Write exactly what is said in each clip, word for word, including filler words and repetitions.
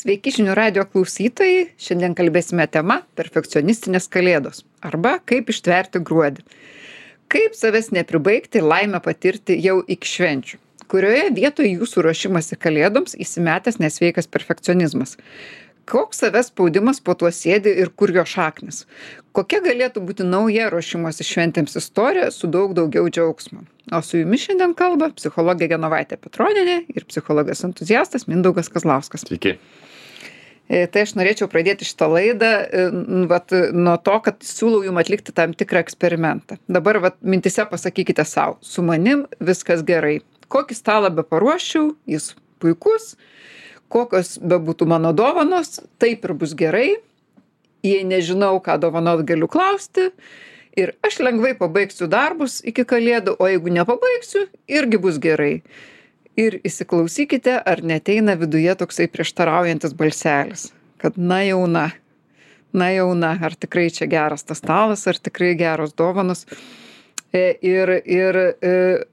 Sveiki žinių radijo klausytojai. Šiandien kalbėsime tema perfekcionistinės kalėdos arba kaip ištverti gruodį. Kaip savęs nepribaigti ir laimę patirti jau iki švenčių. Kurioje vietoje jūsų ruošimasi kalėdoms įsimetęs nesveikas perfekcionizmas. Koks savęs spaudimas po tuo sėdi ir kur jo šaknis. Kokia galėtų būti nauja ruošimosi šventėms istorija su daug daugiau džiaugsmo. O su jumis šiandien kalba psichologė Genovaitė Petronienė ir psichologas entuziastas Mindaugas Kazlauskas. Sveiki. Tai aš norėčiau pradėti šitą laidą vat, nuo to, kad siūlau jums atlikti tam tikrą eksperimentą. Dabar vat, mintise pasakykite savo, su manim viskas gerai. Kokį stalą be paruoščiau, jis puikus, kokios bebūtų mano dovanos, taip ir bus gerai. Jei nežinau, ką dovanot, galiu klausti. Ir aš lengvai pabaigsiu darbus iki kalėdų, o jeigu nepabaigsiu, irgi bus gerai. Ir įsiklausykite, ar neteina viduje toksai prieštaraujantis balselis, kad na jauna, na jauna, ar tikrai čia geras tas stalas, ar tikrai geros dovanos. Ir, ir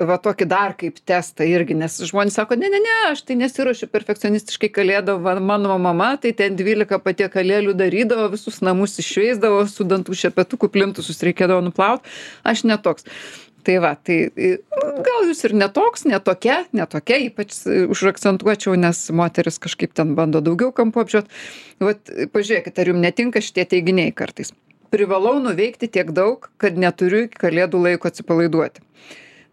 va tokį dar kaip testą irgi, nes žmonės sako, ne, ne, ne, aš tai nesiruošiu perfekcionistiškai kalėdų, mano mama tai ten dvylika patiekalėlių darydavo, visus namus išveisdavo, su dantų šepetuku plintusus reikėdavo nuplauti, aš netoks. Tai va, tai gal jūs ir netoks, netokia, netokia, ypač užakcentuočiau, nes moteris kažkaip ten bando daugiau kampų apžiūrėt. Vat pažiūrėkit, ar jums netinka šitie teiginiai kartais. Privalau nuveikti tiek daug, kad neturiu iki kalėdų laiko atsipalaiduoti.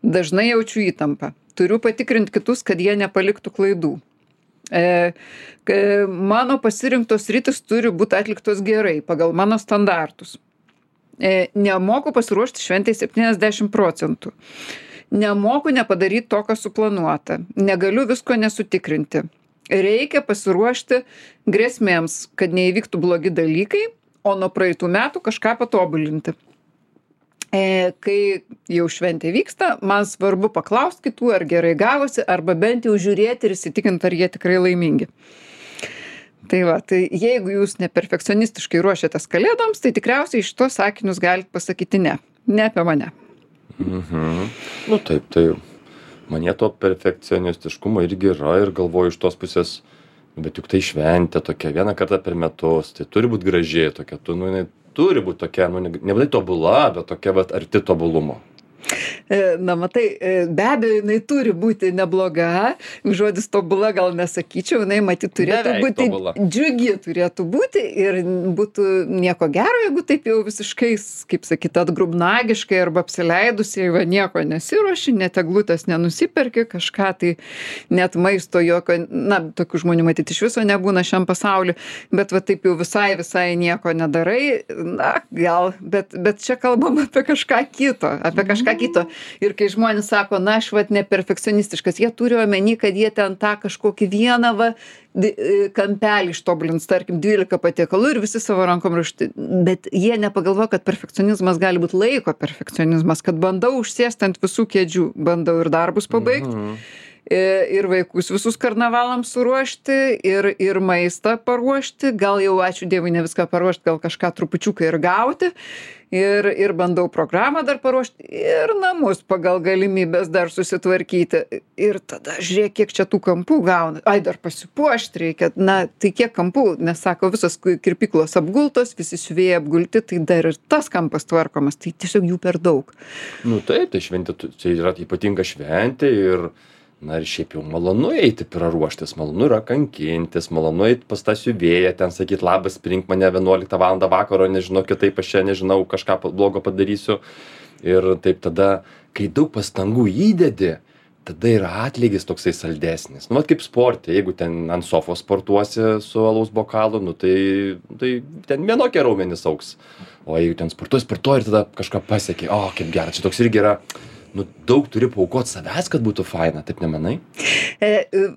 Dažnai jaučiu įtampą. Turiu patikrinti kitus, kad jie nepaliktų klaidų. E, mano pasirinktos rytis turi būti atliktos gerai, pagal mano standartus. E, nemoku pasiruošti šventai septyniasdešimt procentų. Nemoku nepadaryti to, kas suplanuota. Negaliu visko nesutikrinti. Reikia pasiruošti grėsmėms, kad neįvyktų blogi dalykai, o nuo praeitų metų kažką patobulinti. E, kai jau šventė vyksta, man svarbu paklausti kitų, ar gerai gavosi, arba bent jau žiūrėti ir įsitikinti, ar jie tikrai laimingi. Tai va, tai jeigu jūs neperfekcionistiškai ruošiatės kalėdoms, tai tikriausiai iš tos sakinius galite pasakyti ne. Ne apie mane. Mhm. Nu taip, tai manie to perfekcionistiškumo irgi yra ir galvoju iš tos pusės, bet juk tai šventė tokia vieną kartą per metus, tai turi būti gražiai tokia, tu, nu, jinai turi būti tokia, nu, nebūtinai tobula, bet tokia vat, arti tobulumo. Na, matai, be abejo, jinai turi būti nebloga, žodis tobula gal nesakyčiau, jinai matyt turėtų Beveik būti tobula. džiugi turėtų būti ir būtų nieko gero, jeigu taip jau visiškai, kaip sakyt, atgrubnagiškai arba apsileidusiai, va nieko nesiruoši, net eglutės nenusiperki, kažką tai net maisto jokio, na, tokių žmonių matyti iš viso nebūna šiam pasauliu, bet va taip jau visai, visai nieko nedarai, na, gal, bet, bet čia kalbam apie kažką kito, apie kažką kito. Ir kai žmonės sako, na, aš vat neperfekcionistiškas, jie turi omeny, kad jie ten tą kažkokį vieną va, kampelį ištobulins, tarkim, dvylika patiekalų ir visi savo rankom ruošti. Bet jie nepagalvoja, kad perfekcionizmas gali būti laiko perfekcionizmas, kad bandau užsėsti ant visų kėdžių, bandau ir darbus pabaigti. Mhm. Ir vaikus visus karnavalams suruošti, ir, ir maistą paruošti, gal jau ačiū Dievui ne viską paruošti, gal kažką trupučiuką ir gauti, ir, ir bandau programą dar paruošti, ir namus pagal galimybės dar susitvarkyti. Ir tada žiūrėk, kiek čia tų kampų gauna. Ai, dar pasipuošti reikia. Na, tai kiek kampų, nes sako, visos kirpyklos apgultos, visi siuvėjai apgulti, tai dar ir tas kampas tvarkomas, tai tiesiog jų per daug. Nu taip, tai šventė, tai yra ypatinga šventė ir na ir šiaip jau malonu eiti praruoštis, malonu yra kankintis, malonu eiti pas tą siuvėją, ten sakyt, labas, prink mane vienuoliktą valandą vakaro, nežinau, kitaip aš čia nežinau, kažką blogo padarysiu. Ir taip tada, kai daug pastangų įdedi, tada yra atlygis toksai saldesnis. Nu, vat kaip sporte, jeigu ten ant sofos sportuosi su alaus bokalu, nu tai, tai ten vienokie raumenys augs. O jeigu ten sportuoji, sportuoji ir tada kažką pasieki, o kaip gerai, čia toks irgi yra. Nu, daug turi paaukoti savęs, kad būtų faina, taip nemanai? E,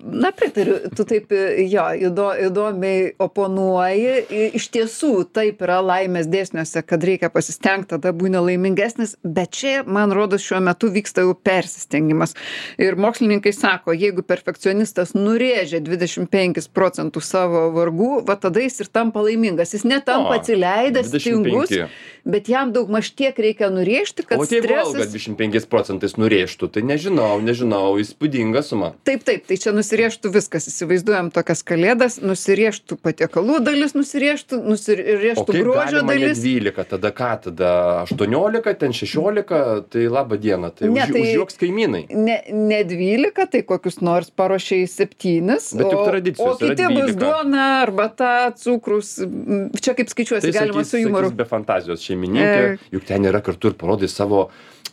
na, pritariu, tu taip, jo, įdo, įdomiai oponuoji. Iš tiesų, taip yra laimės dėsniuose, kad reikia pasistengti, tada būna laimingesnis, bet čia, man rodos, šiuo metu vyksta jau persistengimas. Ir mokslininkai sako, jeigu perfekcionistas nurėžia dvidešimt penkis procentus savo vargų, va tada jis ir tampa laimingas. Jis netampa atsileidęs, tingus, bet jam daug maž tiek reikia nurėžti, kad o tai stresas... valga dvidešimt penkis procentus procentais nurėžtų, tai nežinau, nežinau, įspūdinga suma. Taip, taip, tai čia nusirėžtų viskas, įsivaizduojam tokias kalėdas, nusirėžtų patiekalų dalis, nusirėžtų, nusirėžtų grožio dalis. O kaip galima ne dvylika, tada ką, tada aštuoniolika, ten šešiolika, tai laba diena, tai, ne, už, tai užjuoks kaimynai. Ne, ne dvylika, tai kokius nors paruošiai septynis, bet juk o, tradicijos o kiti yra bus duona, arbata, cukrus, čia kaip skaičiuosi, tai galima sakys, su jumoru. Sakys be fantazijos šeimininkė, e... juk ten yra kartu ir parodai savo,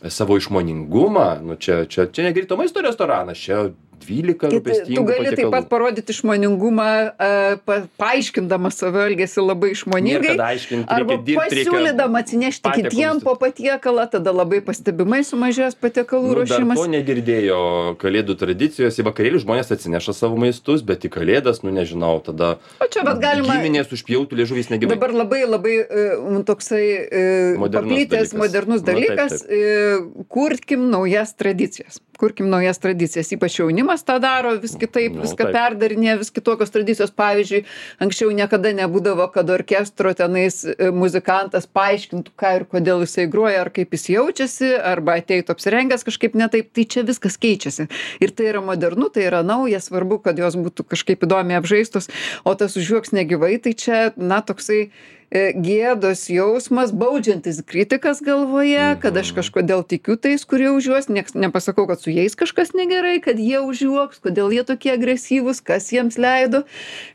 savo išmoningumą, nu čia, čia, čia ne greito maisto restoranas, čia dvylika rūpestingų tu gali patiekalų. Taip pat parodyti išmoningumą, uh, pa, paaiškindama savo elgesį labai išmoningai, arba pasiūlydama atsinešti kitiem po patiekalą, tada labai pastebimai sumažės patiekalų nu, ruošimas. Dar to negirdėjo kalėdų tradicijos, į vakarėlį žmonės atsineša savo maistus, bet į kalėdas, nu nežinau, tada galima, giminės užpjautų liežuviais negyvai. Dabar labai labai uh, toksai uh, paplitęs modernus dalykas, Na, taip, taip. Uh, kurkim naujas tradicijas. Kurkim naujas tradicijas, ypač jaunimas tą daro, vis kitaip, Nu, viską taip. perdarinė, vis kitokios tradicijos. Pavyzdžiui, anksčiau niekada nebūdavo, kad orkestro tenais e, muzikantas paaiškintų, ką ir kodėl jisai groja, ar kaip jis jaučiasi, arba ateitų apsirengęs kažkaip netaip. Tai čia viskas keičiasi. Ir tai yra modernu, tai yra nauja, svarbu, kad jos būtų kažkaip įdomiai apžaistos, o tas užjuoks negyvai, tai čia, na, toksai gėdos jausmas, baudžiantis kritikas galvoje, kad aš kažkodėl tikiu tais, kurie užjuos, nieks nepasakau, kad su jais kažkas negerai, kad jie užjuoks, kodėl jie tokie agresyvūs, kas jiems leido,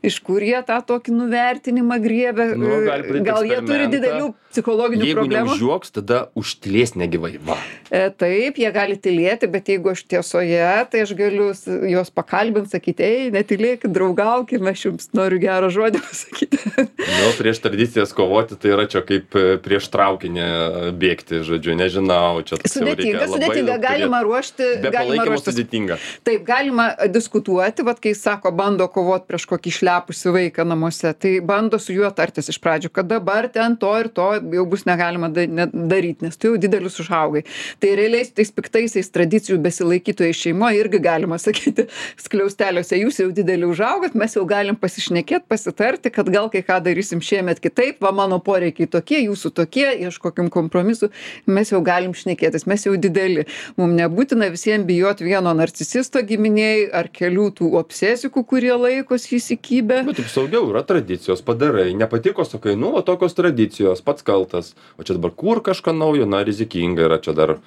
iš kur jie tą tokį nuvertinimą griebė, Nu, gal jie turi didelių psichologinių Jeigu problemų. Jeigu neužjuoks, tada užtilės negyvai. Va. E, taip, jie gali tylėti, bet jeigu aš tiesoje, tai aš galiu s- juos pakalbinti, sakyti, ei, netylėkit, draugaukim, aš jums noriu gerą žodį pasakyti. Nu, prieš tradicijas kovoti, tai yra čia kaip e, prieš traukinį e, bėgti, žodžiu, nežinau, čia toks jau Sudėtinga, reikia labai sudėtinga, daug galima turėt. ruošti, Be galima palaikymo ruoštis. sudėtinga. Taip, galima diskutuoti, vat kai sako, bando kovoti prieš kokį išlepusį vaiką namuose, tai bando su juo tartis iš pradžių, kad dabar ten to ir to jau bus negalima da- ne- daryti, nes tu jau didelius užaugai. Tai realiai su tais piktaisiais tradicijų besilaikytojais šeimoje irgi galima sakyti, skliausteliuose jūs jau didelį užaugat, mes jau galim pasišnekėti, pasitarti, kad gal kai ką darysim šiemet kitaip, va mano poreikiai tokie, jūsų tokie, ieškokim kompromisų, mes jau galim šnekėtis, mes jau dideli. Mums nebūtina visiems bijoti vieno narcisisto giminėjai ar kelių tų obsesikų, kurie laikos įsikibę. Bet taip saugiau yra tradicijos, padarai, nepatiko, sakai, nu, va tokios tradicijos, pats kaltas, o čia dabar kur kažką naujo, na, rizikinga yra čia dar.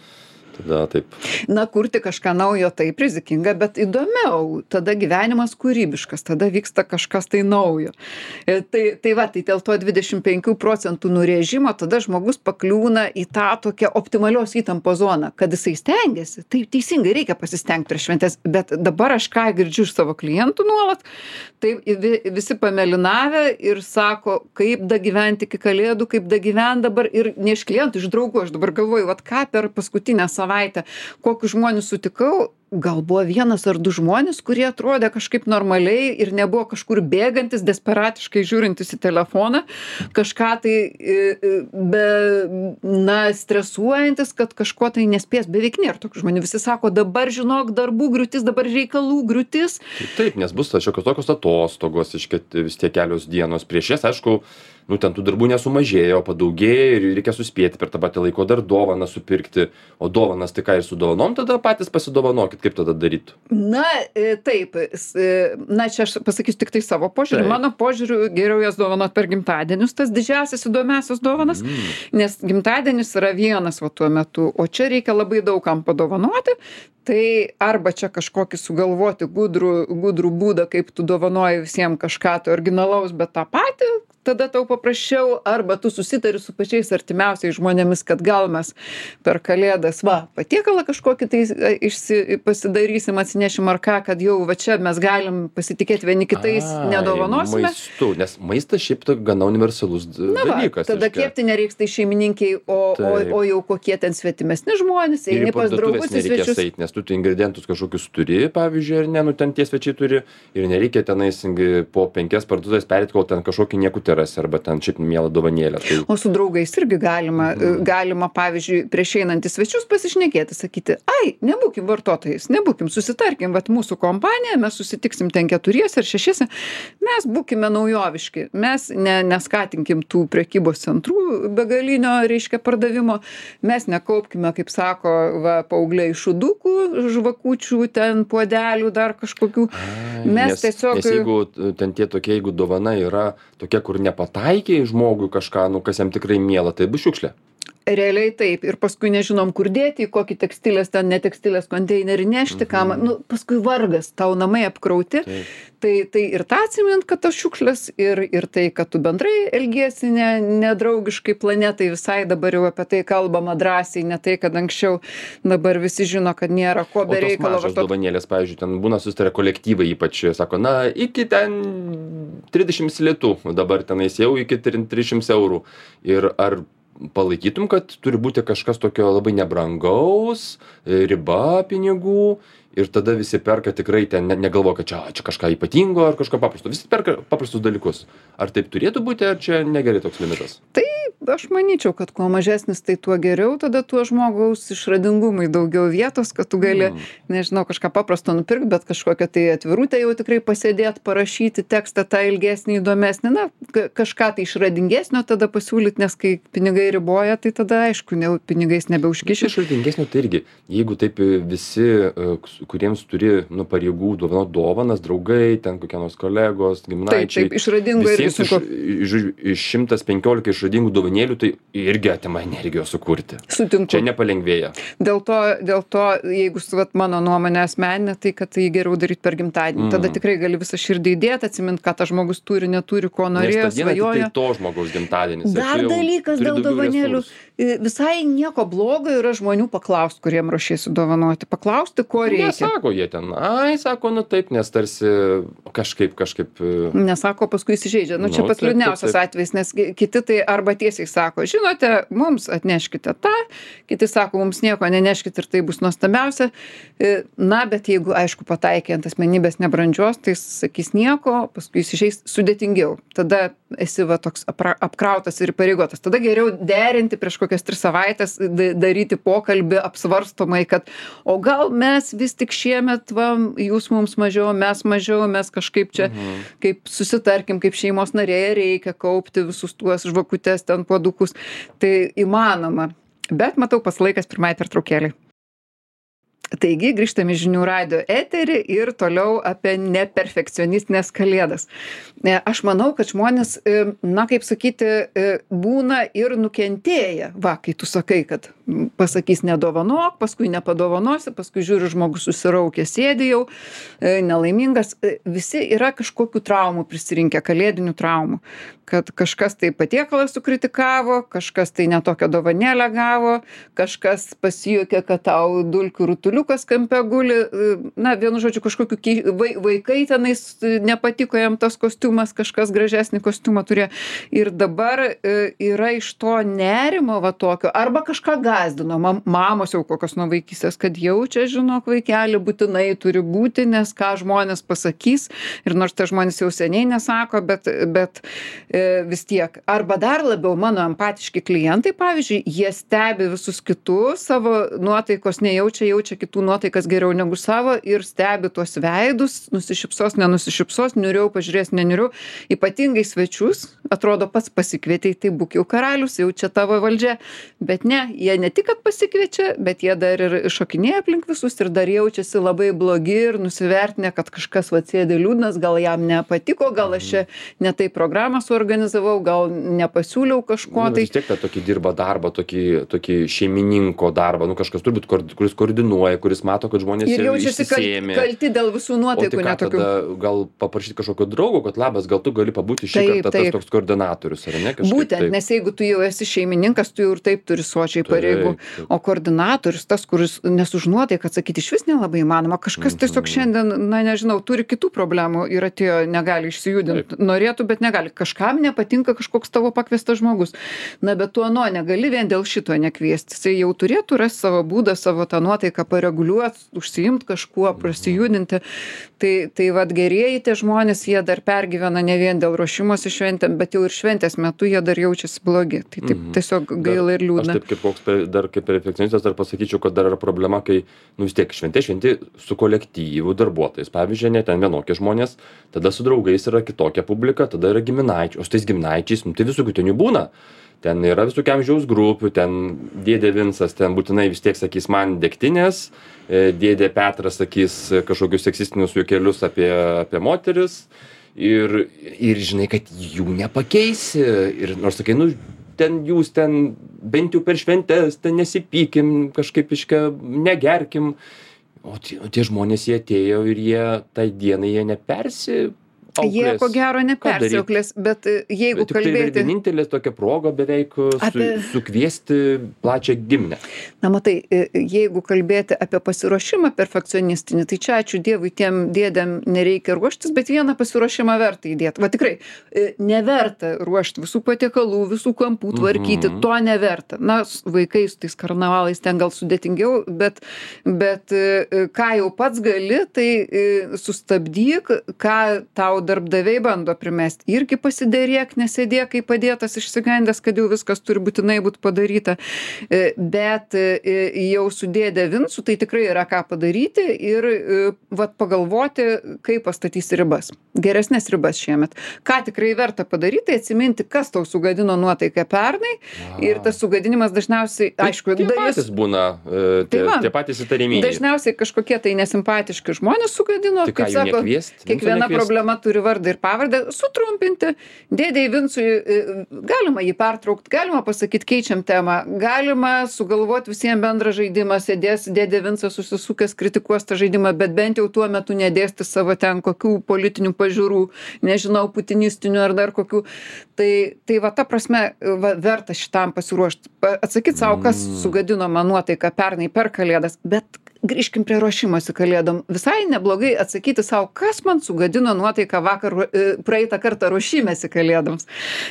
Tada taip. Na, kurti kažką naujo taip rizikinga, bet įdomiau. Tada gyvenimas kūrybiškas, tada vyksta kažkas tai naujo. E, Tai, tai va, tai dėl to dvidešimt penkių procentų nurėžimo tada žmogus pakliūna į tą tokią optimalios įtampos zoną, kad jisai stengiasi. Tai teisingai reikia pasistengti prieš šventės, bet dabar aš ką girdžiu iš savo klientų nuolat, tai vi- visi pamelinavę ir sako, kaip da gyventi iki kalėdų, kaip da gyventi dabar ir ne iš klientų, iš draugų. Aš dabar galvoju, vat ką per paskutinę savaitę, kokius žmonės sutikau, gal buvo vienas ar du žmonės, kurie atrodė kažkaip normaliai ir nebuvo kažkur bėgantis, desperatiškai žiūrintis į telefoną, kažką tai e, e, be, na, stresuojantis, kad kažko tai nespės. Beveik nėra tokių žmonių. Visi sako, dabar žinok, darbų griūtis, dabar reikalų griūtis. Tai taip, nes bus šiokios tokios atostogos, iškėt vis tiek kelios dienos. Prieš jas, aišku, nu ten tų darbų nesumažėjo, padaugėjo ir reikia suspėti per tą patį laiko dar dovaną supirkti. O dovanas tai ką ir su dovanom tada patys pasidovanokit, kaip tada darytų. Na, e, taip, s- e, na, čia aš pasakysiu tik tai savo požiūrį. Taip. Mano požiūriu, geriau jas dovanot per gimtadienius, tas didžiausias įdomiausias dovanas, Mm. nes gimtadienis yra vienas va tuo metu, o čia reikia labai daug kam padovanoti. Tai arba čia kažkokį sugalvoti gudrų, gudrų būdą, kaip tu dovanoji visiems kažką tai originalaus, bet tą patį, tada tau paprasčiau, arba tu susitari su pačiais artimiausiais žmonėmis, kad gal mes per kalėdas, va, patiekalą kažkokį tai e, išsi, pasidarysim, atsinešim ar ką, kad jau va čia mes galim pasitikėti vieni kitais, Ai, nedovanosime. Maistu, nes maistas šiaip tai gana universalus d- Na va, dalykas. tada reiškia. kepti nereiks tai šeimininkiai, o, o, Taip. o jau kokie ten svetimesni žmonės, Ir į eini pas draugus parduotuvės į nereikės svečius. eit, nes tu tai ingredientus kažkokius turi, pavyzdžiui, ar ne, nu ten tie svečiai turi ir nereikia tenais ingi- po penkias parduotuvės pereit, kol ten kažkokį niekutį šiukšlytę rasi arba ten šiaip mielą dovanėlę. Tai... O su draugais irgi galima, mm. galima, pavyzdžiui, prieš einant į svečius pasišnekėti, sakyti, ai, nebūkim vartotojais, nebūkim, susitarkim, vat mūsų kompanija, mes susitiksim ten keturiese ar šešiese, mes būkime naujoviški, mes ne, neskatinkim tų prekybos centrų begalinio, reiškia, pardavimo, mes nekaupkime, kaip sako, va, paaugliai šudukų, žvakučių, ten puodelių, dar kažkokių. Ai, mes nes, tiesiog... Nes jeigu ten tie tokie, jeigu dovana yra tokia, kur nepataikiai žmogui kažką, nu, kas jam tikrai miela, tai bus šiukšlė. Realiai taip. Ir paskui nežinom, kur dėti, į kokį tekstilės, ten netekstilės konteinerį nešti, mhm. kam, nu, paskui vargas, tau namai apkrauti. Taip. Tai, tai ir tą atsimint, kad tas šiukšlės, ir, ir tai, kad tu bendrai elgiesi ne, nedraugiškai planetai, visai dabar jau apie tai kalbama drąsiai, ne tai, kad anksčiau dabar visi žino, kad nėra ko be reikalo. O tos mažos dovanėlės, pavyzdžiui, ten būna susitarę kolektyvai, ypač sako, na, iki ten trisdešimt litų, dabar tenais jau iki trisdešimt eurų. Ir ar palaikytum, kad turi būti kažkas tokio labai nebrangaus, riba pinigų ir tada visi perka tikrai ten, ne, negalvo, kad čia, čia kažką ypatingo ar kažką paprasto. Visi perka paprastus dalykus. Ar taip turėtų būti, ar čia negerai toks limitas? Tai aš manyčiau, kad kuo mažesnis, tai tuo geriau, tada tuo žmogaus išradingumui daugiau vietos, kad tu gali, mm. nežinau, kažką paprasto nupirkti, bet kažkokią tai atvirutę jau tikrai pasėdėti, parašyti tekstą tą ilgesnį, įdomesnį, na, kažką tai išradingesnio tada pasiūlyti, nes kai pinigai riboja, tai tada aišku, ne, pinigais nebeužkiši. Išradingesnio tai irgi, jeigu taip visi, kuriems turi, nu, pareigų dovanot dovanas, draugai, ten kokie nors kolegos, giminaičiai. Taip, taip, išradingo irgi sunku. Iš, iš, iš šimtas penkiolika išradingų dovanėlių, tai irgi atima energijos sukurti. Sutinku. Čia nepalengvėja. Dėl to, dėl to jeigu, vat, mano nuomonė asmeninė, tai kad tai geriau daryti per gimtadienį. Mm. Tada tikrai gali visą širdį įdėti, atsimint, ką tas žmogus turi, neturi, ko norėjo, svajoja. Tai to žmogaus gimtadienis. Dar dalykas dėl dovanėlių. Visai nieko blogo yra žmonių paklausti, kuriem ruošiesi dovanoti. Paklausti, ko reikia. Nesako jie ten, ai, sako, nu taip, nes tarsi kažkaip, kažkaip... Nesako, paskui įsižeidžia. Nu, čia pats liūdniausias atvejis, nes kiti tai arba tiesiai sako, žinote, mums atneškite tą, kiti sako, mums nieko neneškite ir tai bus nuostabiausia. Na, bet jeigu, aišku, pataikė ant asmenybės nebrandžios, tai sakys nieko, paskui įsižeis sudėtingiau. Tada esi va toks apra, apkrautas ir pareigotas. Tada geriau derinti prieš kokias tris savaitės, daryti pokalbį apsvarstomai, kad o gal mes vis tik šiemet, va, jūs mums mažiau, mes mažiau, mes kažkaip čia, mhm. kaip susitarkim, kaip šeimos narėje reikia kaupti visus tuos žvakutes, ten puodukus. Tai įmanoma. Bet matau, pas laikas pirmai pertraukėlei. Taigi, grįžtame į žinių radijo eterį ir toliau apie neperfekcionistinės kalėdas. Aš manau, kad žmonės, na, kaip sakyti, būna ir nukentėję. Va, kai tu sakai, kad pasakys nedovanok, paskui nepadovanosi, paskui žiūri, žmogus susiraukė, sėdi jau, nelaimingas. Visi yra kažkokių traumų prisirinkę, kalėdinių traumų. Kad kažkas tai patiekalą sukritikavo, kažkas tai netokią dovanėlę gavo, kažkas pasijuokė, kad tau dulkių rutuliukas kampe guli, na, vienu žodžiu, kažkokiu vaikai tenais nepatiko jam tas kostiumas, kažkas gražesnį kostiumą turėjo. Ir dabar yra iš to nerimo va tokio, arba kažką gazdino, mamos jau kokios nuo vaikystės, kad jau čia, žinok, vaikelį būtinai turi būti, nes ką žmonės pasakys, ir nors tai žmonės jau seniai nesako, bet, bet vis tiek. Arba dar labiau mano empatiški klientai, pavyzdžiui, jie stebi visus kitus, savo nuotaikos nejaučia, jaučia kitų nuotaikas geriau negu savo ir stebi tuos veidus, nusišypsos, nenusišypsos, niuriau, pažiūrės, neniuriau. Ypatingai svečius, atrodo, pats pasikvietei, tai būk jau karalius, jau čia tavo valdžia. Bet ne, jie ne tik, kad pasikviečia, bet jie dar ir šokinėja aplink visus ir dar jaučiasi labai blogi ir nusivertinę, kad kažkas va sėdi liūdnas, gal jam nepatiko, gal aš čia ne tai programą suorganizavau, gal nepasiūliau kažko. Nu, tai vis tiek tą tokį dirba darbą, tokį, tokį šeimininko darbą, nu kažkas turbūt, kuris koordinuoja, kuris mato, kad žmonės ir jaučiasi kalti, kalti dėl visų nuotaikų. O tai ką tada, gal paprašyti kažkokio draugo, kad labas, gal tu gali pabūti šį taip, kartą taip. Tas toks koordinatorius, ar ne? Kažkaip, būtent, taip. Nes jeigu tu jau esi šeimininkas, tu jau ir taip turi sočiai pareigų, o koordinatorius, tas, kuris nesužnuotai, kad sakyti, iš vis nelabai įmanoma, kažkas mm-hmm. tiesiog šiandien, na nežinau, turi kitų problemų ir atėjo, negali išsijudinti, norėtų, bet negali. Kažkam nepatinka kažkoks tavo pakviestas žmogus. Na, bet tu ano negali vien dėl šito nekviesti. Jis jau turėtų rasti savo būdą, savo tą nuotaiką pareguliuot, užsiimt kažkuo, prasijudinti. Tai, tai vat gerieji tie žmonės, jie dar pergyvena ne vien dėl ruošimosi šventėm, bet jau ir šventės metu jie dar jaučiasi blogi. Tai taip Mhm. tiesiog gaila ir liūdna. Aš taip kaip koks pe- dar kaip perfekcionistas dar pasakyčiau, kad dar yra problema, kai, nu vis tiek šventė šventė su kolektyvu darbuotojais. Pavyzdžiui, ne ten vienokie žmonės, tada su draugais yra kitokia publika, tada yra giminaičiai, o su tais giminaičiais, nu tai visokių ten jų būna. Ten yra visokių amžiaus grupių, ten dėdė Vincas, ten būtinai vis tiek sakys man degtinės, e, dėdė Petras sakys e, kažkokius seksistinius juokelius apie, apie moteris ir, ir žinai, kad jų nepakeisi. Ir nors sakai, nu ten jūs ten bent jau per šventes, ten nesipykim, kažkaip iškia negerkim. O tie, o tie žmonės jie atėjo ir jie tai dienai jie nepersi. Jie ko gero nepersiauklės, bet e, jeigu Tik tai yra kalbėti... vienintelė tokia proga beveik su, Apie- sukviesti plačią giminę. Na matai, e, jeigu kalbėti apie pasiruošimą perfekcionistinį, tai čia ačiū Dievui tiem dėdėm nereikia ruoštis, bet vieną pasiruošimą verta įdėti. Va tikrai, e, neverta ruošti visų patiekalų, visų kampų tvarkyti, Mhm. to neverta. Na, s- vaikai su tais karnavalais ten gal sudėtingiau, bet, bet e, e, ką jau pats gali, tai e, sustabdyk, ką tau darbdaviai bando primesti. Irgi pasidėrėk, nesėdėk, kai padėtas išsigandęs, kad jau viskas turi būtinai būti padaryta. E, Bet e, jau su dėdė Vincu tai tikrai yra ką padaryti ir e, vat pagalvoti, kaip pastatysi ribas. Geresnės ribas šiemet. Ką tikrai verta padaryti, tai atsiminti, kas tau sugadino nuotaiką pernai. Ir tas sugadinimas dažniausiai, aišku, tie dalis patys būna, e, tie, Tai va. tie patys įtariminiai. dažniausiai kažkokie tai nesimpatiški žmonės sugadino. Tai ką, Kaip jų sako, nekviest? Vinco kiekviena nekviest? problema turi vardą ir pavardę. Sutrumpinti. Dėdei Vincui e, galima jį pertraukti, galima pasakyti keičiam temą, galima sugalvoti visiems bendrą žaidimą, sėdės dėdė Vincas susisukęs, kritikuos tą žaidimą, bet bent jau tuo metu nedėsti savo ten kokių politinių pažiūrų, nežinau, putinistinių ar dar kokių. Tai, tai va ta prasme, va, verta šitam pasiruošti. Atsakyti savo, kas sugadino man nuotaiką pernai per Kalėdas, bet grįžkim prie ruošimosi Kalėdom. Visai neblogai atsakyti savo, kas man sugadino nuotaiką vakar, e, praeitą kartą ruošimėsi Kalėdoms.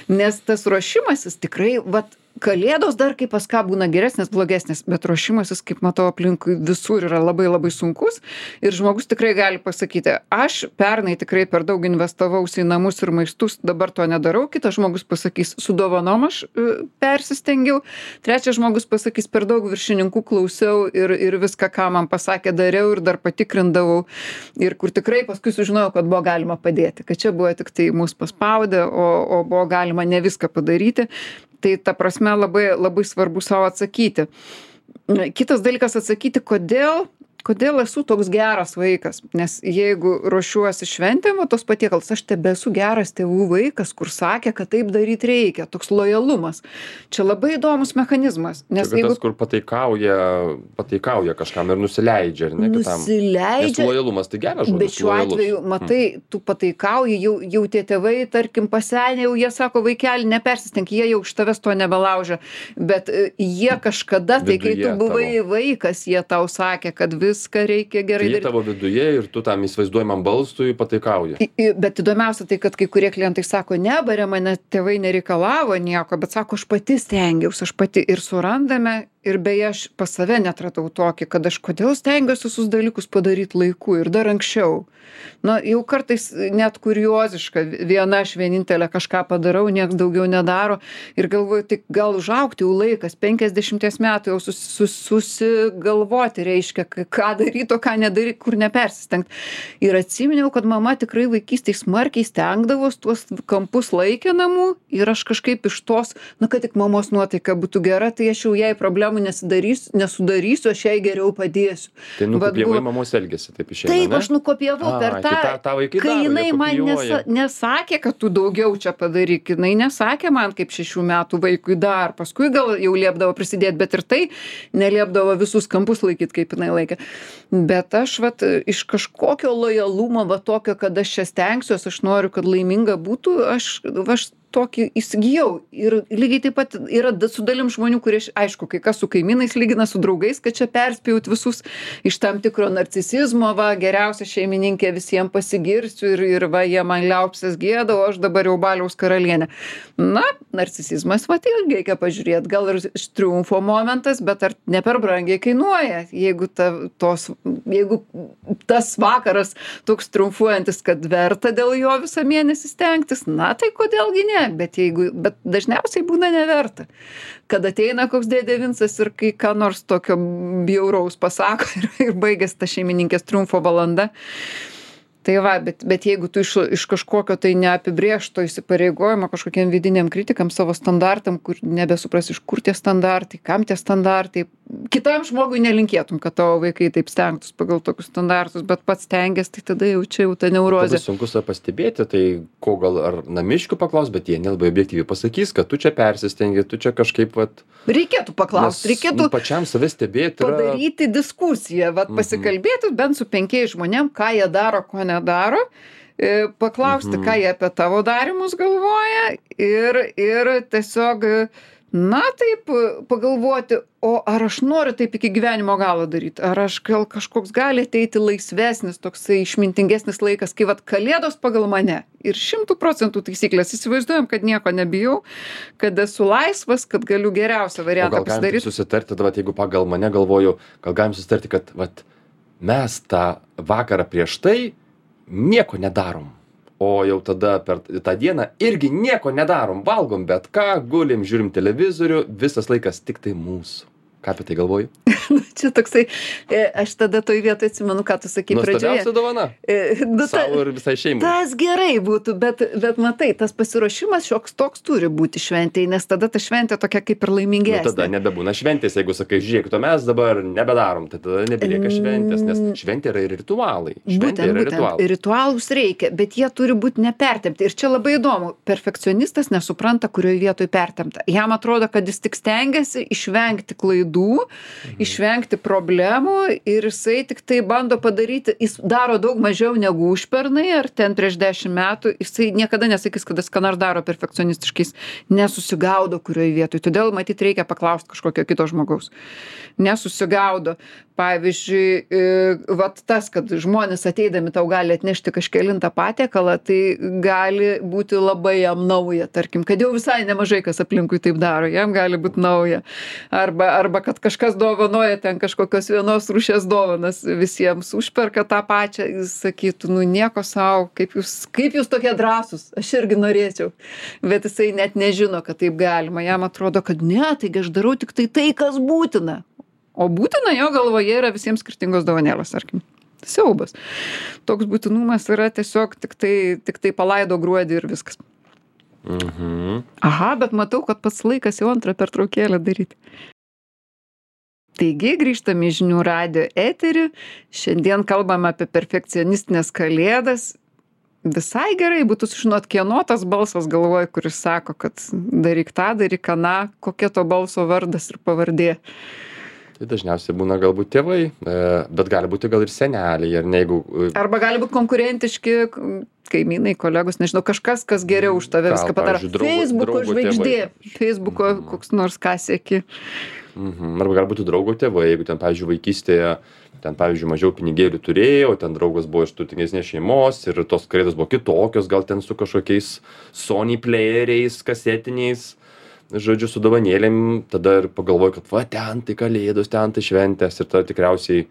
Nes tas ruošimasis tikrai, vat, Kalėdos dar kaip pas ką būna geresnės, blogesnės, bet ruošimasis, kaip matau, aplinkui visur yra labai labai sunkus ir žmogus tikrai gali pasakyti, aš pernai tikrai per daug investavausi į namus ir maistus, dabar to nedarau, kitas žmogus pasakys, su dovanom aš e, persistengiau, trečias žmogus pasakys, per daug viršininkų klausiau ir, ir viską, ką man pasakė, dariau ir dar patikrindavau ir kur tikrai paskui sužinojau, kad buvo galima padėti, kad čia buvo tik tai mus paspaudė, o, o buvo galima ne viską padaryti. Tai ta prasme labai, labai svarbu savo atsakyti. Kitas dalykas atsakyti, kodėl, kodėl esu toks geras vaikas. Nes jeigu ruošiuosi šventėm, o tos patiekalus, aš tebesu geras tėvų vaikas, kur sakė, kad taip daryti reikia. Toks lojalumas. Čia labai įdomus mechanizmas. Nes Čia jeigu tas, kur pataikauja, pataikauja kažkam ir nusileidžia, ar ne kitam. Nes nusileidžia, lojalumas tai geras žodis. bet šiuo lojalus. atveju, matai, tu pataikauji, jau, jau tie tėvai, tarkim, pasenę, jau jie sako, vaikeli, nepersistenk, jie jau iš tavęs to nebelaužia. Bet e, jie kažkada, tai kai tu Viduje buvai tavo. vaikas, jie tau sakė, kad viską reikia gerai Tai jie daryti. tavo viduje ir tu tam įsivaizduojamam balsui pataikauji. I- i- Bet įdomiausia tai, kad kai kurie klientai sako, nebarė mane tėvai nereikalavo nieko, bet sako, aš pati stengiausi, aš pati ir surandame. Ir beje, aš pas save netratau tokį, kad aš kodėl stengiuosi visus dalykus padaryti laiku ir dar anksčiau. Na, jau kartais net kurioziška, viena aš vienintelė kažką padarau, nieks daugiau nedaro ir galvoju, tai gal užaugti jau laikas, penkiasdešimties metų jau sus, sus, susigalvoti reiškia, k- ką daryti, o ką nedaryti, kur nepersistengti. Ir atsiminiau, kad mama tikrai vaikystėje smarkiai stengdavos, tuos kampus laikė namų ir aš kažkaip iš tos, na, kad tik mamos nuotaika būtų gera, tai aš jau jai problemų nesidarysiu, nesudarysiu, aš jai geriau padėsiu. Tai Vat nukopijavai buvo- mamos elgesį, taip išeina. Taip, ne? aš nukopijavau per Ai, tą, tai tą- tą vaikai kai daro, jie jinai man kopijuoja. nesa, nesakė, kad tu daugiau čia padaryk, jinai nesakė man kaip šešių metų vaikui dar, paskui gal jau liepdavo prisidėti, bet ir tai neliepdavo visus kampus laikyti, kaip jinai laikė. Bet aš vat, iš kažkokio lojalumo, va tokio, kad aš čia stengsiuosi, aš noriu, kad laiminga būtų, aš, aš tokį įsigijau. Ir lygiai taip pat yra da- su dalim žmonių, kurie, š- aišku, kai kas su kaimynais lygina, su draugais, kad čia perspėjut visus iš tam tikro narcisizmo, va, geriausia šeimininkė, visiems pasigirsiu ir, ir va, jie man liaupsės gėda, o aš dabar jau baliaus karalienė. Na, narcisizmas, va, tai irgi reikia pažiūrėti, gal ir iš triumfo momentas, bet ar ne per brangiai kainuoja, jeigu, ta, tos, jeigu tas vakaras toks triumfuojantis, kad verta dėl jo visą mėnesį stengtis, na tai kodėlgi ne, bet, jeigu, bet dažniausiai būna neverta. Kad ateina koks dėdė Vincas ir kai ką nors tokio bjauraus pasako ir, ir baigėsi ta šeimininkės triumfo valanda. Tai va, bet, bet jeigu tu iš, iš kažkokio tai neapibrėžto įsipareigojimo kažkokiem vidiniam kritikam, savo standartam, kur nebesupras iš kur tie standartai, kam tie standartai, kitam žmogui nelinkėtum, kad tavo vaikai taip stengtus pagal tokius standartus, bet pats stengiasi, tai tada jau čia jau ta neurozė. Labai sunku save pastebėti, tai ko gal ar namiškių paklaus, bet jie nelabai objektyviai pasakys, kad tu čia persistengi, tu čia kažkaip vat... Reikėtų paklausti, reikėtų nu, pačiam save stebėti. Yra... padaryti diskusiją, vat, pasikalbėti bent su penkiais žmonėm, ką jie daro, ko nedaro, e, paklausti, Mhm. ką jie apie tavo darimus galvoja ir, ir tiesiog, na taip, pagalvoti, o ar aš noriu taip iki gyvenimo galo daryti, ar aš gal kažkoks gali ateiti laisvesnis, toksai išmintingesnis laikas, kai vat kalėdos pagal mane ir šimtų procentų taisyklės, įsivaizduojam, kad nieko nebijau, kad esu laisvas, kad galiu geriausią O variantą gal galim taip pasidaryti. susitarti, tada, vat, jeigu pagal mane galvoju, gal galim susitarti, kad vat, mes tą vakarą prieš tai nieko nedarom. O jau tada per tą dieną irgi nieko nedarom, valgom bet ką, gulim, žiūrim televizorių, visas laikas tik tai mūsų. Ką apie tai galvoji? Čia toksai, e, aš tada toj vietoj atsimenu, ką tu sakai pradžioje. Nuostabiausia dovana. E, nu, ta, Savo ir visai šeimai. tas gerai būtų, bet, bet matai, tas pasiruošimas šioks toks turi būti šventėj, nes tada ta šventė tokia kaip ir Nu, laimingesnė. tada nebebūna šventės, jeigu sakai, žiūrėk, to mes dabar nebedarom, tai tada nebelieka šventės, nes šventė yra ir ritualai. Šventė Būtent, yra būtent, ritualai. ritualus reikia, bet jie turi būti nepertempti. Ir čia labai įdomu, perfekcionistas nesupranta, kurioje vietoje pertempta. Jam atrodo, kad jis tik stengiasi išvengti klaidų, išvengti problemų ir jisai tik tai bando padaryti, jis daro daug mažiau negu užpernai ar ten prieš dešimt metų, jisai niekada nesakys, kad jis ką nors daro perfekcionistiškais, nesusigaudo kurioje vietoje. Todėl matyt reikia paklausti kažkokio kito žmogaus. Nesusigaudo. Pavyzdžiui, e, vat tas, kad žmonės ateidami tau gali atnešti kažkelintą patiekalą, tai gali būti labai jam nauja, tarkim, kad jau visai nemažai kas aplinkui taip daro, jam gali būti nauja. Arba, arba kad kažkas dovanoja ten kažkokios vienos rūšies dovanas visiems, užperka tą pačią, jis sakytų, nu nieko savo, kaip jūs, kaip jūs tokie drąsūs, aš irgi norėčiau. Bet jisai net nežino, kad taip galima, jam atrodo, kad ne, taigi aš darau tik tai tai, kas būtina. O būtina jo galvoje yra visiems skirtingos dovanėlės, tarkim. Siaubas. Toks būtinumas yra tiesiog tik tai, tik tai palaido gruodį ir viskas. Mhm. Aha, bet matau, kad pats laikas jau antrą pertraukėlę daryti. Taigi, grįžtame į žinių radijo eterį. Šiandien kalbame apie perfekcionistinės kalėdas. Visai gerai būtų sužinot, kieno tas balsas galvoja, kuris sako, kad daryk tą, daryk aną, kokia to balso vardas ir pavardė. Tai dažniausiai būna galbūt tėvai, e, bet gali būti gal ir seneliai, ar ne, jeigu... e, Arba gali būti konkurentiški kaimynai, kolegos, nežinau, kažkas, kas geriau už tave Gal, viską padaro. pavyzdžiui, draugo- Facebooko draugo žvaigždė, tėvai. Facebooko koks nors ką seki. Mhm. Arba gali būti draugo tėvai, jeigu ten, pavyzdžiui, vaikystėje, ten, pavyzdžiui, mažiau pinigėlių turėjo, ten draugas buvo iš turtingesnės šeimos ir tos kalėdos buvo kitokios, gal ten su kažkokiais Sony playeriais, kasetiniais, žodžiu, su dovanėlėm, tada ir pagalvoju, kad va, ten tai kalėdos, ten tai šventės ir tada tikriausiai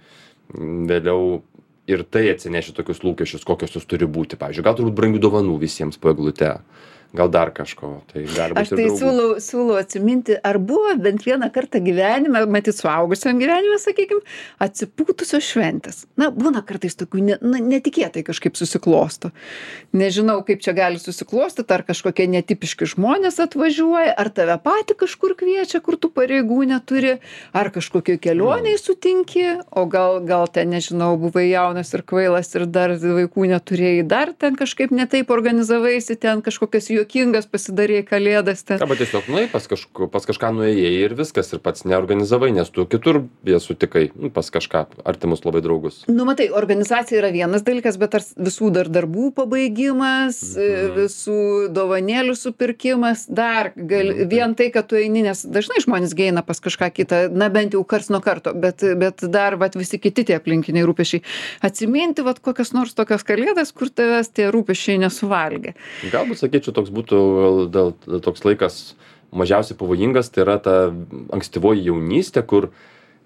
m, vėliau ir tai atsineši tokius lūkesčius, kokios jos turi būti. Pavyzdžiui, gal turbūt brangių dovanų visiems po eglute. Gal dar kažko. Tai gali Aš būti tai ir draugų. siūlau, siūlau atsiminti, ar buvo bent vieną kartą gyvenime, matyt, suaugusiam gyvenime, sakykime, atsipūtusios šventės. Na, būna kartais tokių ne, na, netikėtai kažkaip susiklosto. Nežinau, kaip čia gali susiklostyti, ar kažkokie netipiški žmonės atvažiuoja, ar tave patį kažkur kviečia, kur tu pareigų neturi, ar kažkokioj kelioniai sutinki, o gal, gal ten, nežinau, buvai jaunas ir kvailas ir dar vaikų neturėjai, dar ten kažkaip netaip organizavaisi, ten kažkokias juokingas pasidarei kalėdas ten. Arba tiesiog nuėjai pas, kažku, pas kažką nuėjai ir viskas, ir pats neorganizavai, nes tu kitur jas sutikai, nu, pas kažką artimus labai draugus. Nu, matai, organizacija yra vienas dalykas, bet ar visų dar darbų pabaigimas, mhm. visų dovanėlių supirkimas, dar gal, mhm. vien tai, kad tu eini, nes dažnai žmonės geina pas kažką kitą, na bent jau kars nuo karto, bet, bet dar vat, visi kiti tie aplinkiniai rūpesčiai. Atsiminti vat, kokias nors tokias kalėdas, kur tavęs tie rūpesčiai nesuvalgė. Galbūt, sakyčiau, toks būtų dėl, toks laikas mažiausiai pavojingas, tai yra ta ankstyvoji jaunystė, kur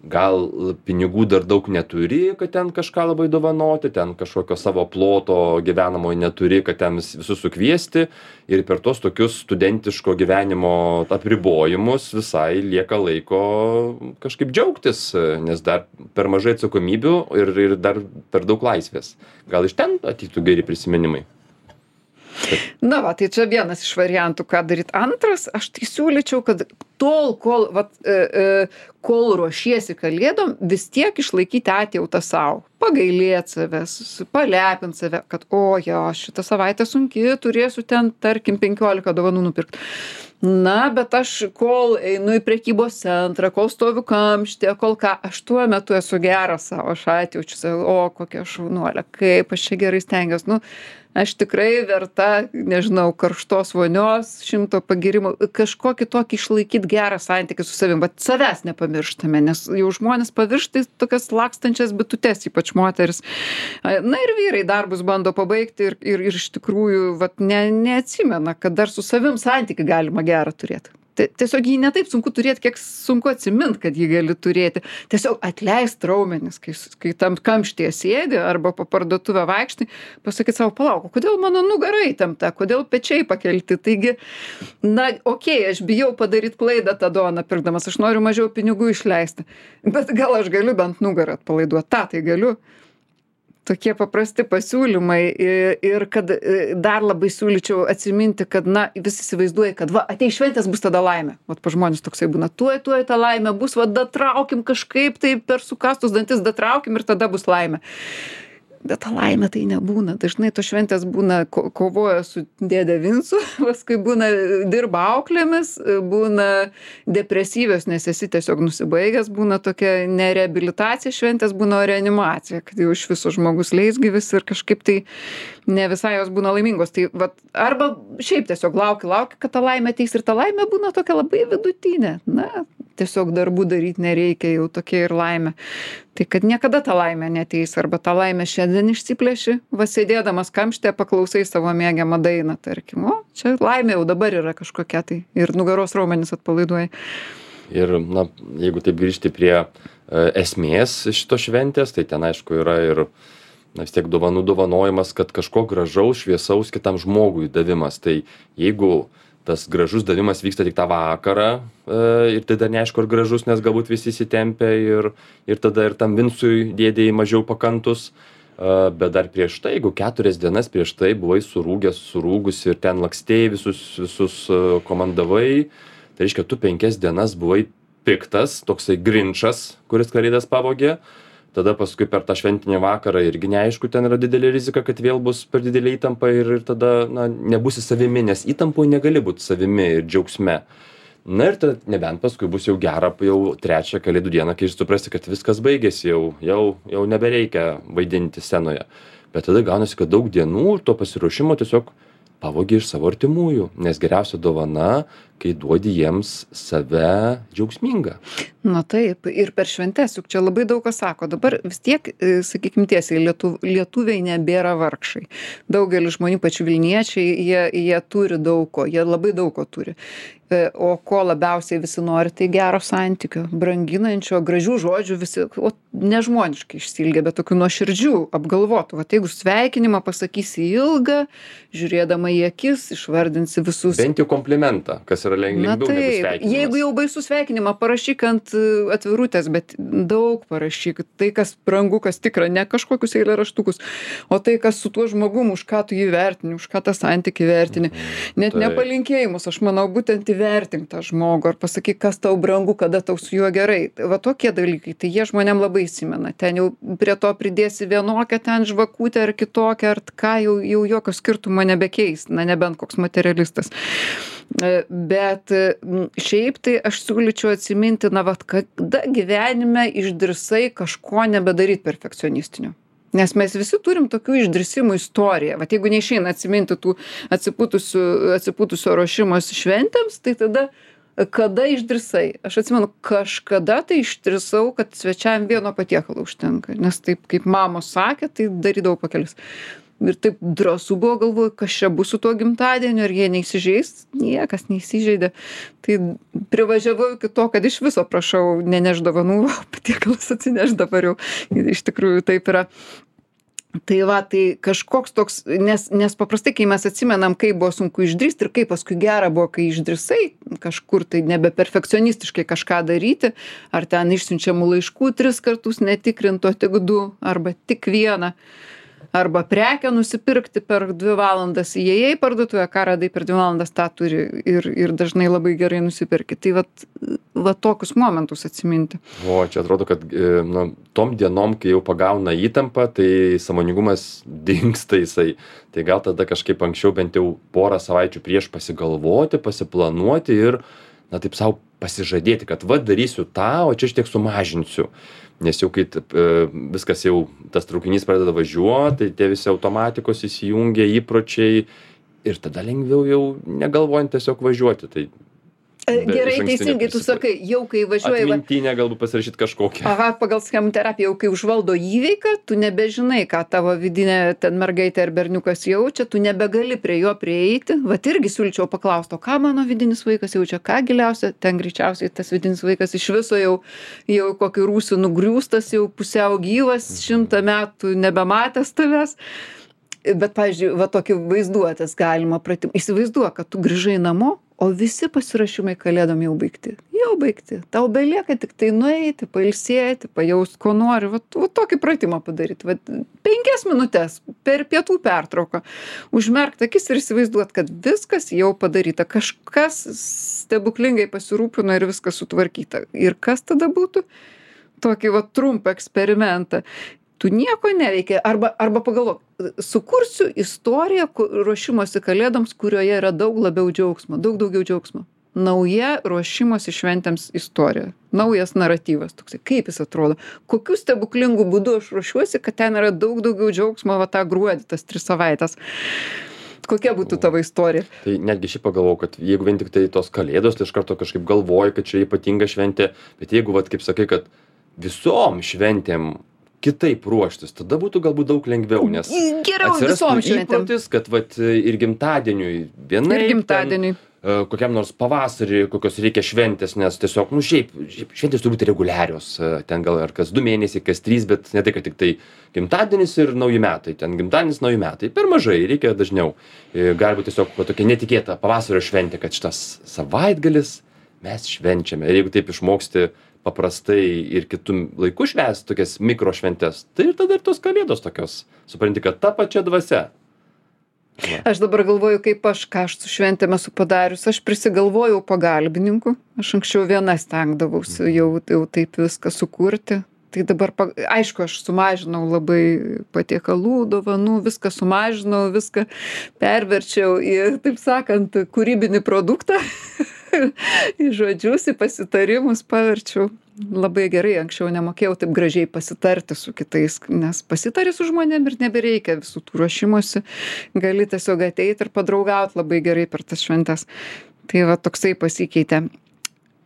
gal pinigų dar daug neturi, kad ten kažką labai dovanoti, ten kažkokio savo ploto gyvenamojo neturi, kad ten visus sukviesti ir per tos tokius studentiško gyvenimo apribojimus visai lieka laiko kažkaip džiaugtis, nes dar per mažai atsakomybių ir, ir dar per daug laisvės. Gal iš ten ateitų geri prisiminimai? Na va, tai čia vienas iš variantų, ką daryt. Antras, aš tai siūlyčiau, kad tol, kol, vat, e, e, kol ruošiesi kalėdom, vis tiek išlaikyti atjautą savo. Pagailėt savęs, palepint save, kad o jo, šitą savaitę sunki, turėsiu ten, tarkim, penkiolika dovanų nupirkti. Na, bet aš kol einu į prekybos centrą, kol stoviu kamštė, kol ką, aš tuo metu esu geras savo, aš atjaučiu save, o kokia šaunuolė, kaip aš čia gerai stengiuosi. Nu, aš tikrai verta, nežinau, karštos vonios, šimto pagirimų, kažkokį tokį išlaikyti gerą santykį su savim, bet savęs nepamirštame, nes jau žmonės paviršta tokias lakstančias bitutes, ypač moteris. Na ir vyrai darbus bando pabaigti ir, ir, ir iš tikrųjų vat, ne, neatsimena, kad dar su savim santykį galima gerą turėti. Tiesiog jį netaip sunku turėti, kiek sunku atsimint, kad jį gali turėti. Tiesiog atleist raumenis, kai, kai tam kamštyje sėdi arba po parduotuvę vaikštai, pasakyti savo, palauk, kodėl mano nugara įtempta, kodėl pečiai pakelti. Taigi, na, okei, okay, aš bijau padaryti klaidą tą dovaną pirkdamas, aš noriu mažiau pinigų išleisti, bet gal aš galiu bent nugarą atpalaiduoti, tą tai galiu. Tokie paprasti pasiūlymai ir kad dar labai siūlyčiau atsiminti, kad, na, visi įsivaizduoja, kad, va, ateis šventės, bus tada laimė. Vat pa žmonės toksai būna, tuoj, tuoj ta laimė bus, va, datraukim kažkaip, tai per sukastus dantis datraukim ir tada bus laimė. Bet ta laimė tai nebūna. Dažnai to šventės būna ko kovoja su dėde Vincu, paskui būna dirba auklėmis, būna depresyvios, nes esi tiesiog nusibaigęs, būna tokia ne reabilitacija šventės, būna reanimacija, kad jau iš viso žmogus leisgyvis ir kažkaip tai ne visai jos būna laimingos. Tai vat, arba šiaip tiesiog lauki, lauki, kad ta laimė ateis ir ta laimė būna tokia labai vidutinė. Na, tiesiog darbų daryti nereikia, jau tokia ir laimė. Tai kad niekada ta laimė neteis, arba ta laimė šiandien išsiplėši, va sėdėdamas kamštė paklausai savo mėgiamą dainą, tarkim, o čia laimė jau dabar yra kažkokia tai ir nugaros raumenis atpalaiduoja. Ir, na, jeigu taip grįžti prie e, esmės šito šventės, tai ten aišku yra ir na, vis tiek dovanų dovanojimas, kad kažko gražaus, šviesaus kitam žmogui davimas. Tai jeigu tas gražus davimas vyksta tik tą vakarą e, ir tai dar neaišku, ar gražus, nes galbūt visi įsitempia ir, ir tada ir tam Vincui dėdėjai mažiau pakantus, e, bet dar prieš tai, jeigu keturias dienas prieš tai buvai surūgęs, surūgusi ir ten lakstėjai, visus, visus komandavai, tai reiškia, tu penkias dienas buvai piktas, toksai grinčas, kuris kalėdas pavogė. Tada paskui per tą šventinį vakarą irgi neaišku, ten yra didelė rizika, kad vėl bus per didelė įtampa ir, ir tada na, nebūsi savimi, nes įtampoje negali būti savimi ir džiaugsme. Na ir tada nebent paskui bus jau gera, jau trečią kalėdų dieną, kai suprasti, kad viskas baigėsi, jau, jau, jau nebereikia vaidinti scenoje. Bet tada gaunasi, kad daug dienų ir to pasiruošimo tiesiog pavogi iš savo artimųjų, nes geriausia dovana, kai duodi jiems save džiaugsmingą. Na taip, ir per šventes, juk čia labai daug kas sako. Dabar vis tiek, sakykim tiesiai, lietu, lietuviai nebėra vargšai. Daugelis žmonių, pačių Vilniečiai, jie, jie turi daug ko, jie labai daug ko turi. O ko labiausiai visi nori, tai gero santykio, branginančio, gražių žodžių visi, o nežmoniškai išsilgia, bet tokių nuoširdžių, apgalvotų. Vat jeigu sveikinimą pasakysi ilgą, žiūrėdama į akis, išvardinsi visus. Bent jau komplimentą, kas yra leng Na lengviau negu taip, sveikinimas. jeigu jau baisu sveikinimą, parašyk ant e, atvirutės, bet daug parašyk. Tai, kas brangu, kas tikra, ne kažkokius eilėraštukus, o tai, kas su tuo žmogum, už ką tu jį vertini, už ką tą santykį vertini. Net Taip. ne palinkėjimus, aš manau, būtent įvertink tą žmogų, ar pasakyk, kas tau brangu, kada tau su juo gerai. Va tokie dalykai, tai jie žmonėm labai įsimena. Ten jau prie to pridėsi vienokią ten žvakutę ar kitokią, ar ką jau, jau jokio skirtumo nebekeis, na nebent koks materialistas. E, Bet m, šiaip tai aš siūlyčiau atsiminti, na, vat, kada gyvenime išdrisai kažko nebedaryti perfekcionistinio. Nes mes visi turim tokių išdrisimų istoriją. Vat jeigu neišeina atsiminti tų atsipūtusių, atsipūtusio ruošimosi šventėms, tai tada kada išdrisai? Aš atsimenu, kažkada tai išdrisau, kad svečiam vieno patiekalo užtenka. Nes taip, kaip mamos sakė, tai darydavau pakelis. Ir taip drąsu buvo, galvoju, kas čia bus su tuo gimtadieniu, ar jie neįsižeis. Niekas neįsižeidė. Tai privažiavau iki to, kad iš viso prašau neneš dovanų, patiekalas atsineš dabar jau. Iš tikrųjų taip yra. Tai va, tai kažkoks toks, nes, nes paprastai, kai mes atsimenam, kaip buvo sunku išdrįsti ir kaip paskui gera buvo, kai išdrįsai kažkur tai nebe perfekcionistiškai kažką daryti, ar ten išsiunčiamų laiškų tris kartus netikrinto tik du, arba tik vieną. Arba prekę nusipirkti per dvi valandas, įėjai į parduotuvę, ką radai per dvi valandas, tą turi ir, ir dažnai labai gerai nusipirki. Tai vat, vat tokius momentus atsiminti. O, čia atrodo, kad e, nu, tom dienom, kai jau pagauna įtampą, tai sąmoningumas dingsta jisai. Tai gal tada kažkaip anksčiau bent jau porą savaičių prieš pasigalvoti, pasiplanuoti ir, na taip savo pasižadėti, kad va darysiu tą, o čia aš tiek sumažinsiu. Nes jau kai e, viskas jau, tas traukinys pradeda važiuoti, tai tie visi automatikos įsijungia, įpročiai ir tada lengviau jau negalvojant tiesiog važiuoti. Tai Gerai, teisingai, tu sakai, jau kai važiuoji... Atmintinę galbūt pasirašyti kažkokią. Aha, pagal schemų terapiją, jau kai užvaldo įveiką, tu nebežinai, ką tavo vidinė ten mergaitė ar berniukas jaučia, tu nebegali prie jo prieiti. Vat irgi siūlyčiau paklausti, o ką mano vidinis vaikas jaučia, ką giliausia, ten greičiausiai tas vidinis vaikas iš viso jau, jau kokį rūsį nugriūstas, jau pusiau gyvas, šimtą metų nebematęs tavęs. Bet, pavyzdžiui, va tokį vaizduotės galima pratimą. Įsivaizduok, kad tu grįžai namo, o visi pasirašymai kalėdom jau baigti. Jau baigti. Tau belieka tik tai nueiti, pailsėti, pajaust, ko nori. Va, va tokį pratimą padaryti. Va, penkias minutės per pietų pertrauką. Užmerkti akis ir įsivaizduot, kad viskas jau padaryta. Kažkas stebuklingai pasirūpino ir viskas sutvarkyta. Ir kas tada būtų? Tokį va trumpą eksperimentą. Tu nieko neveikia, arba, arba pagalvok, sukursiu istoriją ruošimosi kalėdoms, kurioje yra daug labiau džiaugsmo, daug daugiau džiaugsmo. Nauja ruošimosi šventėms istorija, naujas naratyvas, toksai, kaip jis atrodo, kokiu stebuklingu būdu aš ruošiuosi, kad ten yra daug daugiau džiaugsmo, va tą gruodį, tas tris savaitės. Kokia būtų tavo istorija? Tai netgi šiaip pagalvojau, kad jeigu vien tik tai tos kalėdos, tai iš karto kažkaip galvoju, kad čia ypatinga šventė, bet jeigu, vat, kaip sakai, kad visom šventėm kitaip ruoštis, tada būtų galbūt daug lengviau, nes Geriau visom šventėm. Įprotis, kad vat, ir gimtadieniui vienaip, ir gimtadieniui. Ten, kokiam nors pavasarį, kokios reikia šventės, nes tiesiog, nu šiaip, šiaip šventės turi būti reguliarios, ten gal ar kas du mėnesiai, kas trys, bet ne tai, kad tik tai gimtadienis ir nauji metai, ten gimtadienis, nauji metai, per mažai, reikia dažniau. Gali būti tiesiog va, tokia netikėta pavasario šventė, kad šitas savaitgalis mes švenčiame. Ir jeigu taip išmoksti paprastai ir kitų laikų švęsti tokias mikrošventes, tai ir tada ir tos kalėdos tokios. Supranti, kad ta pačia dvasia. Va. Aš dabar galvoju, kaip aš, ką aš su šventėm esu padarius. Aš prisigalvojau pagalbininkų. Aš anksčiau viena stengdavausi jau, jau taip viską sukurti. Tai dabar, aišku, aš sumažinau labai patiekalų, dovanų, viską sumažinau, viską perverčiau į, taip sakant, kūrybinį produktą. Į žodžius, į pasitarimus paverčiau. Labai gerai, anksčiau nemokėjau taip gražiai pasitarti su kitais, nes pasitari su žmonėm ir nebereikia visų tų ruošimosi. Gali tiesiog ateiti ir padraugauti labai gerai per tas šventes. Tai va toksai pasikeitė.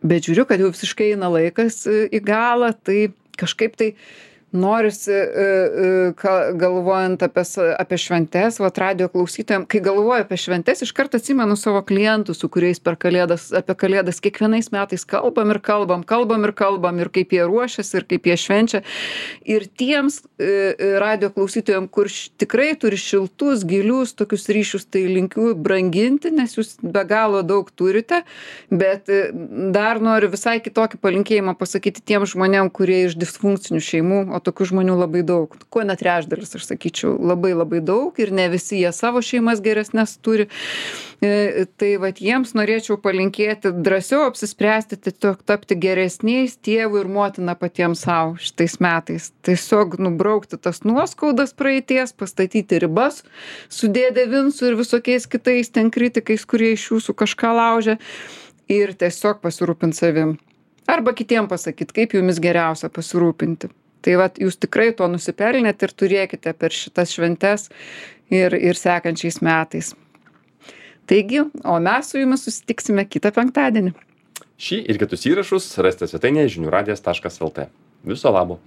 Bet žiūriu, kad jau visiškai eina laikas į galą, tai kažkaip tai Norisi, e, e, ka- galvojant apie, sa- apie šventes, vat radio klausytojams, kai galvoju apie šventes, iš karto atsimenu savo klientus, su kuriais per kalėdas, apie kalėdas kiekvienais metais kalbam ir kalbam, kalbam ir kalbam, ir kaip jie ruošiasi, ir kaip jie švenčia. Ir tiems e, e, radio klausytojams, kur š- tikrai turi šiltus, gilius tokius ryšius, tai linkiu branginti, nes jūs be galo daug turite, bet e, dar noriu visai kitokį palinkėjimą pasakyti tiem žmonėm, kurie iš disfunkcinių šeimų, o tokių žmonių labai daug. Kuo net trečdalis, aš sakyčiau, labai labai daug ir ne visi jie savo šeimas geresnės turi. E, tai vat jiems norėčiau palinkėti drąsiau apsispręsti, tiesiog tapti geresniais tėvų ir motina patiems savo šitais metais. Tiesiog nubraukti tas nuoskaudas praeities, pastatyti ribas su dėdė Vincu ir visokiais kitais ten kritikais, kurie iš jūsų kažką laužia ir tiesiog pasirūpinti savim. Arba kitiem pasakyti, kaip jumis geriausia pasirūpinti. Tai vat jūs tikrai to nusipelnėt ir turėkite per šitas šventes ir, ir sekančiais metais. Taigi, o mes su jumis susitiksime kitą penktadienį. Šį ir kitus įrašus rasite svetainėje žinių radijas taškas lt. Viso labo.